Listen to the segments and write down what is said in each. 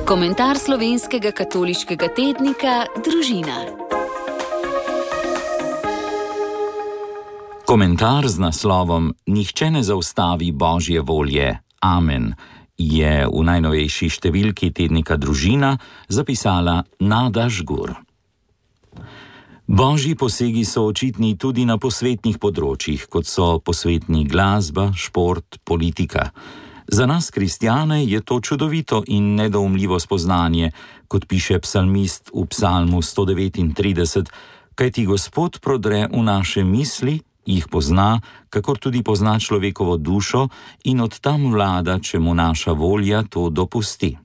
Komentar slovenskega katoliškega tednika Družina. Komentar z naslovom Nihče ne zaustavi Božje volje. Amen je v najnovejši številki tednika Družina zapisala Nada Žgur. Božji posegi so očitni tudi na posvetnih področjih, kot so posvetni glasba, šport, politika. Za nas, kristjane, je to čudovito in nedoumljivo spoznanje, kot piše psalmist v psalmu 139, kajti Gospod prodre v naše misli, jih pozna, kakor tudi pozna človekovo dušo in od tam vlada, če mu naša volja to dopusti.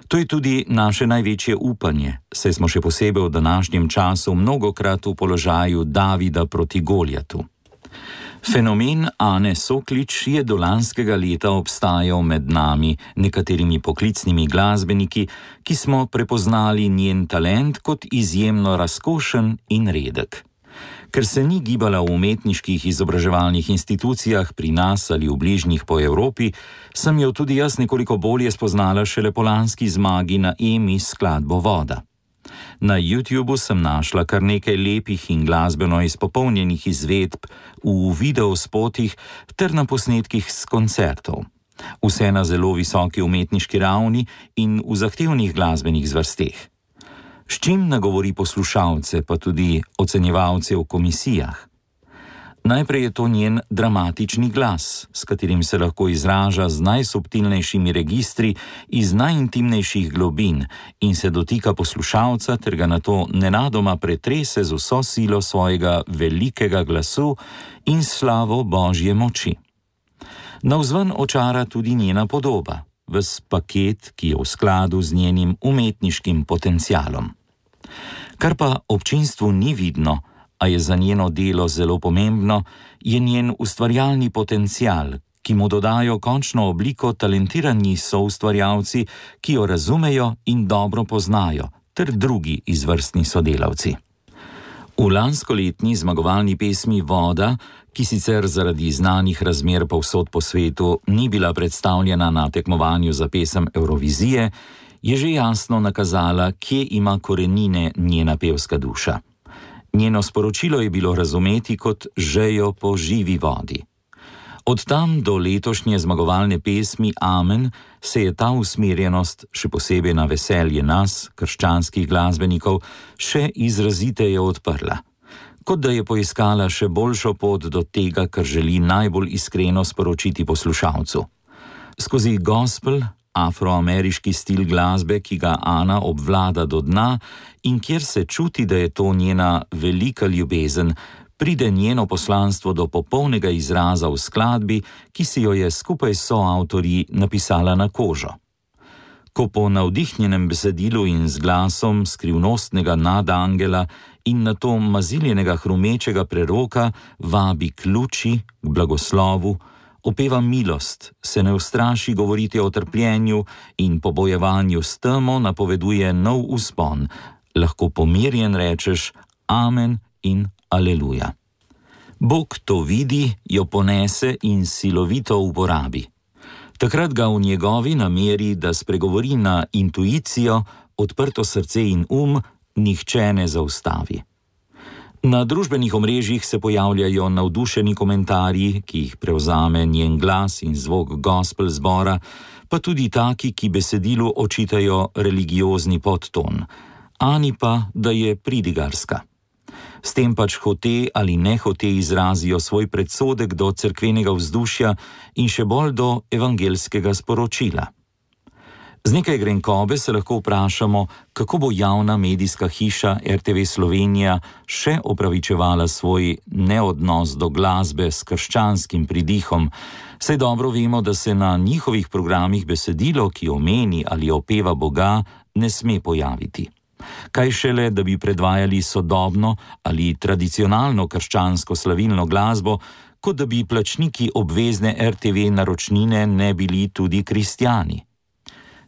To je tudi naše največje upanje, saj smo še posebej v današnjem času mnogokrat v položaju Davida proti Goljatu. Fenomen Ane Soklič je do lanskega leta obstajal med nami, nekaterimi poklicnimi glasbeniki, ki smo prepoznali njen talent kot izjemno razkošen in redek. Ker se ni gibala v umetniških izobraževalnih institucijah pri nas ali v bližnjih po Evropi, sem jo tudi jaz nekoliko bolje spoznala šele po lanski zmagi na EMI s skladbo Voda. Na YouTubu sem našla kar nekaj lepih in glasbeno izpopolnjenih izvedb v videospotih ter na posnetkih s koncertov. Vse na zelo visoki umetniški ravni in v zahtevnih glasbenih zvrsteh. S čim nagovori poslušalce, pa tudi ocenjevalce v komisijah? Najprej je to njen dramatični glas, s katerim se lahko izraža z najsubtilnejšimi registri iz najintimnejših globin in se dotika poslušalca ter ga nato nenadoma pretrese z vso silo svojega velikega glasu in slavo Božje moči. Navzven očara tudi njena podoba, ves paket, ki je v skladu z njenim umetniškim potencialom. Kar pa občinstvu ni vidno, a je za njeno delo zelo pomembno, je njen ustvarjalni potencial, ki mu dodajo končno obliko talentirani soustvarjalci, ki jo razumejo in dobro poznajo, ter drugi izvrstni sodelavci. V lanskoletni zmagovalni pesmi Voda, ki sicer zaradi znanih razmer povsod po svetu ni bila predstavljena na tekmovanju za pesem Evrovizije, je že jasno nakazala, kje ima korenine njena pevska duša. Njeno sporočilo je bilo razumeti kot žejo po živi vodi. Od tam do letošnje zmagovalne pesmi Amen se je ta usmerjenost, še posebej na veselje nas, krščanskih glasbenikov, še izraziteje odprla. Kot da je poiskala še boljšo pot do tega, kar želi najbolj iskreno sporočiti poslušalcu. Skozi gospel, afroameriški stil glasbe, ki ga Ana obvlada do dna in kjer se čuti, da je to njena velika ljubezen, pride njeno poslanstvo do popolnega izraza v skladbi, ki si jo je skupaj s soavtorji napisala na kožo. Ko po navdihnjenem besedilu in z glasom skrivnostnega nadangela in nato maziljenega hrumečega preroka vabi k luči, k blagoslovu, opeva milost, se ne ustraši govoriti o trpljenju in po bojevanju s temo napoveduje nov vzpon, lahko pomirjen rečeš Amen in Aleluja. Bog to vidi, jo ponese in silovito uporabi. Takrat ga v njegovi nameri, da spregovori na intuicijo, odprto srce in nihče ne zaustavi. Na družbenih omrežjih se pojavljajo navdušeni komentarji, ki jih prevzame njen glas in zvok gospel zbora, pa tudi taki, ki besedilu očitajo religiozni podton, Ani pa, da je pridigarska. S tem pač hote ali nehote izrazijo svoj predsodek do cerkvenega vzdušja in še bolj do evangelskega sporočila. Z nekaj grenkobe se lahko vprašamo, kako bo javna medijska hiša RTV Slovenija še opravičevala svoj neodnos do glasbe s krščanskim pridihom, saj dobro vemo, da se na njihovih programih besedilo, ki omeni ali opeva Boga, ne sme pojaviti. Kaj šele, da bi predvajali sodobno ali tradicionalno krščansko slavilno glasbo, kot da bi plačniki obvezne RTV naročnine ne bili tudi kristjani.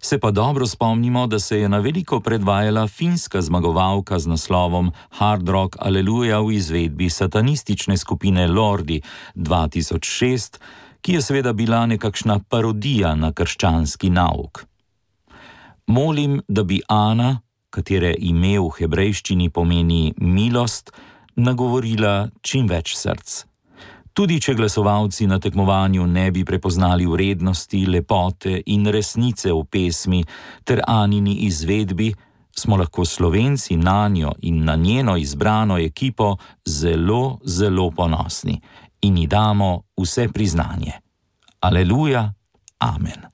Se pa dobro spomnimo, da se je na veliko predvajala finska zmagovalka z naslovom Hard Rock Aleluja v izvedbi satanistične skupine Lordi 2006, ki je seveda bila nekakšna parodija na krščanski nauk. Molim, da bi Ana, katere ime v hebrejščini pomeni milost, nagovorila čim več src. Tudi če glasovalci na tekmovanju ne bi prepoznali vrednosti, lepote in resnice v pesmi ter Anini izvedbi, smo lahko Slovenci nanjo in na njeno izbrano ekipo zelo, zelo ponosni in ji damo vse priznanje. Aleluja, amen.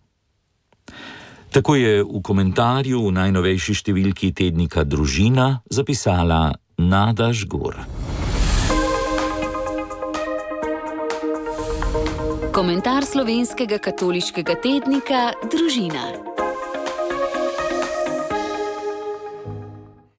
Tako je v komentarju v najnovejši številki tednika Družina zapisala Nada Žgur. Komentar slovenskega katoliškega tednika Družina.